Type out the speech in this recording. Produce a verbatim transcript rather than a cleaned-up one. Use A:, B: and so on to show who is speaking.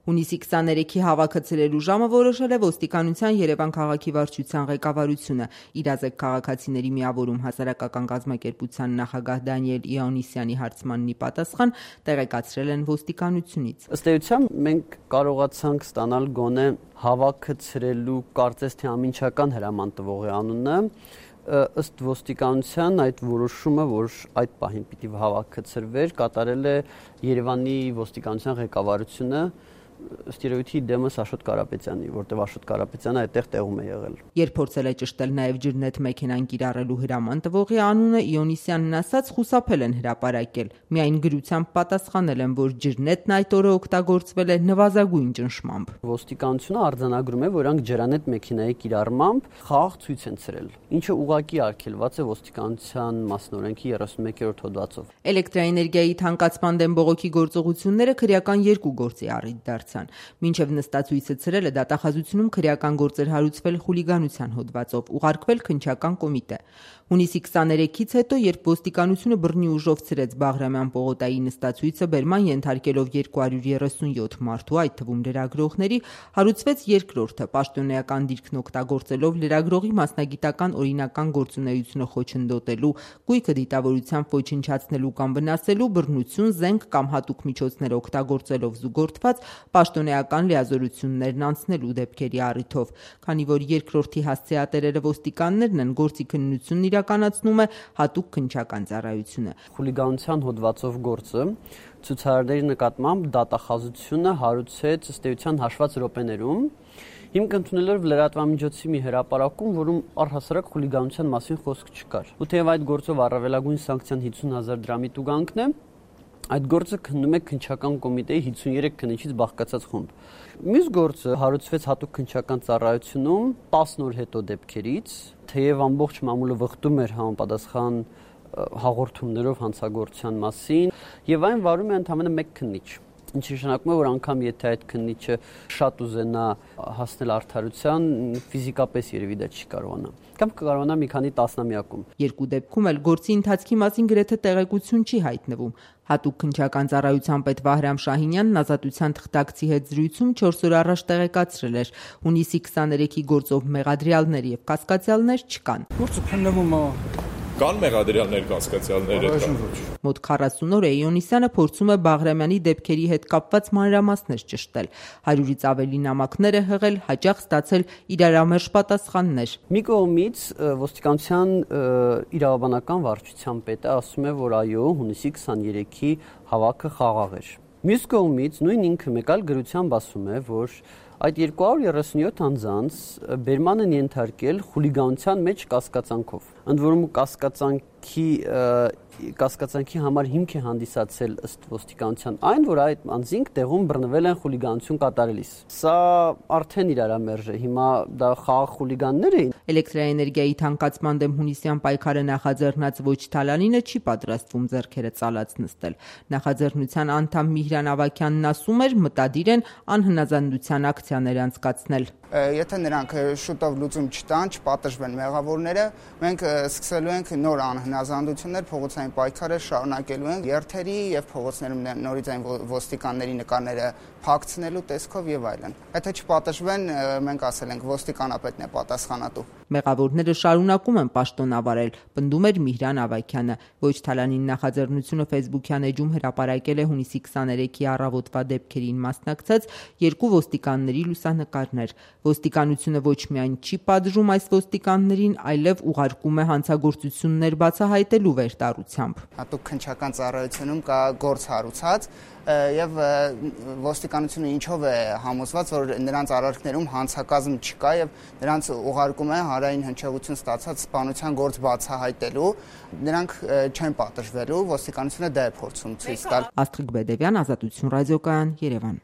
A: Հունիսի քսաներեքի հավաքը ցրելու ժամը որոշել է ոստիկանության Երևան քաղաքի վարչության ղեկավարությունը։ Իրազեկ քաղաքացիների միավորում հասարակական կազմակերպության նախագահ Դանիել Իոաննիսյանի հարցմանն ի պատասխան տեղեկացրել են ոստիկանությունից։
B: Ըստ էության մենք կարողացանք ստանալ գոնե հավաքը ցրելու կարծես թե ամինչական հրաման տվողի անունը։ Ըստ ոստիկանության այդ որոշումը, որ այդ պահին պիտի հավաքը ցրվեր, կատարել է Երևանի ոստիկանության ղեկավարությունը, ըստ երևույթի դեմս Աշոտ Կարապետյանի, որտեղ Աշոտ Կարապետյանը այդտեղ տեղում է եղել։
A: Երբ փորձել է ճշտել նաև ջրնետ մեքենան կիրառելու հրաման տվողի անունը, Իոաննիսյանն ասաց, խուսափել են հրապարակել։ Միայն գրությամբ պատասխանել են, որ ջրնետն այդ օրը օգտագործվել է նվազագույն ճնշմամբ։
B: Ոստիկանությունը արձանագրում է, որ անք ջրանետ մեքենայի կիրառմամբ խաղաղ ցույց են ցրել, ինչը ուղղակի արգելված է ոստիկանության մասնօրենքի երեսունմեկերորդ հոդվածով։
A: Էլեկտրաէներգիայի թանկացման դեմ բողոքի գործողությունները քրեական երկու գործի առիթ դարձան։ Մինչև նստացույցը ցրելը դատախազությունում քրեական գործեր հարուցվել խուլիգանության հոդվածով, ուղարկվել քննչական կոմիտե։ Հունիսի քսաներեքից հետո, երբ ոստիկանությունը բռնի ուժով ցրեց Բաղրամյան պողոտայի նստացույցը, բերման ենթարկելով երկու հարյուր երեսունյոթ մարդու, այդ թվում լրագրողների, հարուցվեց երկրորդը՝ պաշտոնեական դիրքն օգտագործելով լրագրողի մասնագիտական օրինական գործունեությունը խոչընդոտելու, գույքը դիտավորությամբ ոչնչացնելու կամ վնասելու, բռնություն, զենք կամ հատուկ միջոցներ օգտագործելով զուգորդված պաշտոնեական լիազորություններն անցնելու դեպքերի առիթով։ Քանի որ երկրորդի հասցեատերերը ոստիկաններն են, գործի քննությունն իրականացնում է հատուկ քննչական ծառայությունը։
B: Խուլիգանության հոդվածով գործը ցուցարարների նկատմամբ դատախազությունը հարուցեց ըստ էության հաշված րոպեներում, հիմք ընդունելով լրատվամիջոցի մի հրապարակում, որում առհասարակ խուլիգանության մասին խոսք չկար։ Ու թեև այդ գործով առավելագույն սանկցիան հիսուն հազար դրամի տուգանքն է, այդ գործը քննում է քննչական կոմիտեի հիսունյուրեք քննիչից բաղկացած խումբ։ Մյուս գործը հարուցվեց հատուկ քննչական ծառայությունում տասն օր հետո դեպքերից, թեև ամբողջ մամուլը վխտում էր համապատասխան հաղորդումներով հանցագործության մասին, եւ այն վարում է ընդամենը մեկ քննիչ, ինչը նշանակում է, որ անգամ եթե այդ քննիչը շատ ուզենա հասնել արդարության, ֆիզիկապես երևի դա չի կարողանա, կամ կկարողանա մի քանի տասնամյակում։
A: Երկու դեպքում էլ գործի ընթացքի մասին գրեթե տեղեկություն չի հայտնվում։ Հատուկ քննչական ծառայության պետ Վահրամ Շահինյանն Ազատության թղթակցի հետ զրույցում չորս օր առաջ տեղեկացրել էր, հունիսի քսաներեքի գործով մեղադրյալներ եւ կասկածյալներ չկան։
C: Գործը քննվում է։
D: Կան մեղադրյալներ, կասկածյալներ։
A: Մոտ քառասուն օր է Իոաննիսյանը փորձում է Բաղրամյանի դեպքերի հետ կապված մանրամասներ ճշտել։ Հարյուրից ավելի նամակներ է հղել, հաճախ ստացել իրարամերժ պատասխաններ։
B: Մի կողմից ոստիկանության իրավաբանական վարչության պետը ասում է, որ այո, հունիսի քսաներեքի հավաքը խաղաղ էր։ Մյուս կողմից նույն ինքը մեկ այլ գրությամբ ասում է, որ այդ երկու հարյուր երեսունյոթ անձանց բերման են ենթարկել խուլիգանության մեջ կասկածանքով։ Ընդ որում կասկածանքի կասկածանքի համար հիմք է հանդիսացել ըստ ոստիկանության այն, որ այդ անձինք տեղում բռնվել են խուլիգանություն կատարելիս։ Սա արդեն իրարամերժ է, հիմա դա խաղաղ խուլիգաններ էին։
A: Էլեկտրաէներգիայի թանկացման դեմ հունիսյան պայքարը նախաձեռնած ոչ Թալանինը չի պատրաստվում ձեռքերը ծալած նստել։ Նախաձեռնության անդամ Միհրան Ավագյանն ասում էր, մտադիր են անհնազանդության ակցիաներ անցկացնել։
E: Եթե նրանք շուտով լուծում չտան, չպատժվեն մեղավորները, մենք սկսելու ենք նոր անհնազանդություններ, փողոցային պայքարը շարունակելու ենք երթերի եւ փողոցներում նորից այն ոստիկանների նկարները փակցնելու տեսքով եւ այլն։ Եթե չպատժվեն, մենք ասել ենք ոստիկանապետն է պատասխանատու։
A: Մեղավորները շարունակում են պաշտոնավարել, պնդում էր Միհրան Ավագյանը։ Ոչ Թալանին նախաձեռնությունը Facebook-յան էջում հրապարակել է հունիսի քսաներեքի առավոտվա դեպքերին մասնակցած երկու ոստիկանների լուսանկարներ։ Ոստիկանությունը ոչ միայն չի պատժում այս ոստիկաններին, այլև ուղարկում է հանցագործություններ բացահայտելու վերտարությամբ։
E: Հատուկ քննչական ծառայությունում կա գործ հարուցած եւ ոստիկանությունը ինչով է համոզված, որ նրանց արարքներում հանցակազմ չկա եւ նրանց ուղարկում է հանրային հնչեղություն ստացած սպանության գործ բացահայտելու, նրանք չեն պատժվելու, ոստիկանությունը դա է փորձում ցույց տալ։
A: Աստղիկ Բեդևյան, Ազատություն ռադիոկայան, Երևան։